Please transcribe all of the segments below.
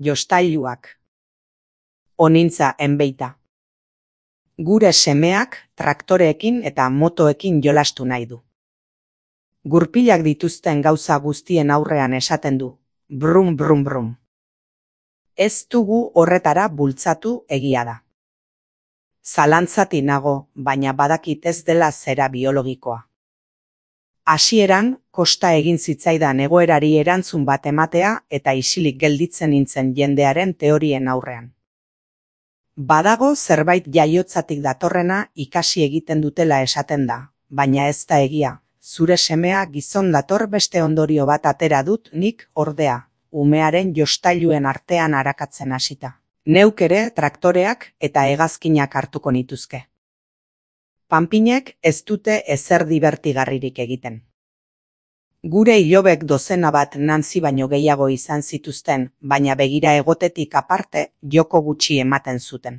Jostailuak. Onintza enbeita. Gure semeak traktoreekin eta motoekin jolastu nahi du. Gurpilak dituzten gauza guztien aurrean esaten du, brum brum brum. Ez dugu horretara bultzatu, egia da. Zalantzati nago, baina badakit ez dela zera biologikoa. Hasieran, kosta egin zitzaidan egoerari erantzun bat ematea eta isilik gelditzen nintzen jendearen teorien aurrean. Badago zerbait jaiotzatik datorrena ikasi egiten dutela esaten da, baina ez da egia. Zure semea gizon dator beste ondorio bat atera dut nik ordea, umearen jostailuen artean arakatzen hasita. Neuk ere traktoreak eta hegazkinak hartuko nituzke. Panpinek ez dute ezer dibertigarririk egiten. Gure ilobek dozena bat Nancy baino gehiago izan zituzten, baina begira egotetik aparte joko gutxi ematen zuten.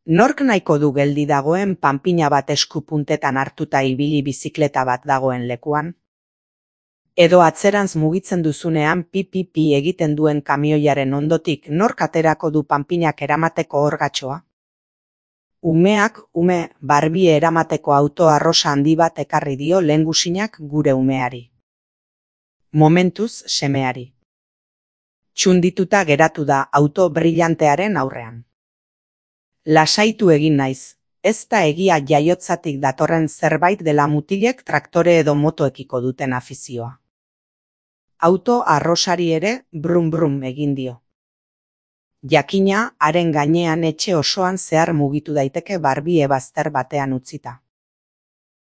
Nork nahiko du geldi dagoen panpina bat eskupuntetan hartuta ibili bizikleta bat dagoen lekuan? Edo atzerantz mugitzen duzunean pi egiten duen kamioiaren ondotik nork aterako du panpinak eramateko orgatxoa? Umeak Barbie eramateko auto arrosa handi bat ekarri dio lehengusinak gure umeari. Momentuz semeari. Txundituta geratu da auto brillantearen aurrean. Lasaitu egin naiz, ez da egia jaiotzatik datorren zerbait dela mutilek traktore edo motoekiko duten afizioa. Auto arrosari ere brum brum egin dio. Jakina, haren gainean etxe osoan zehar mugitu daiteke Barbie bazter batean utzita.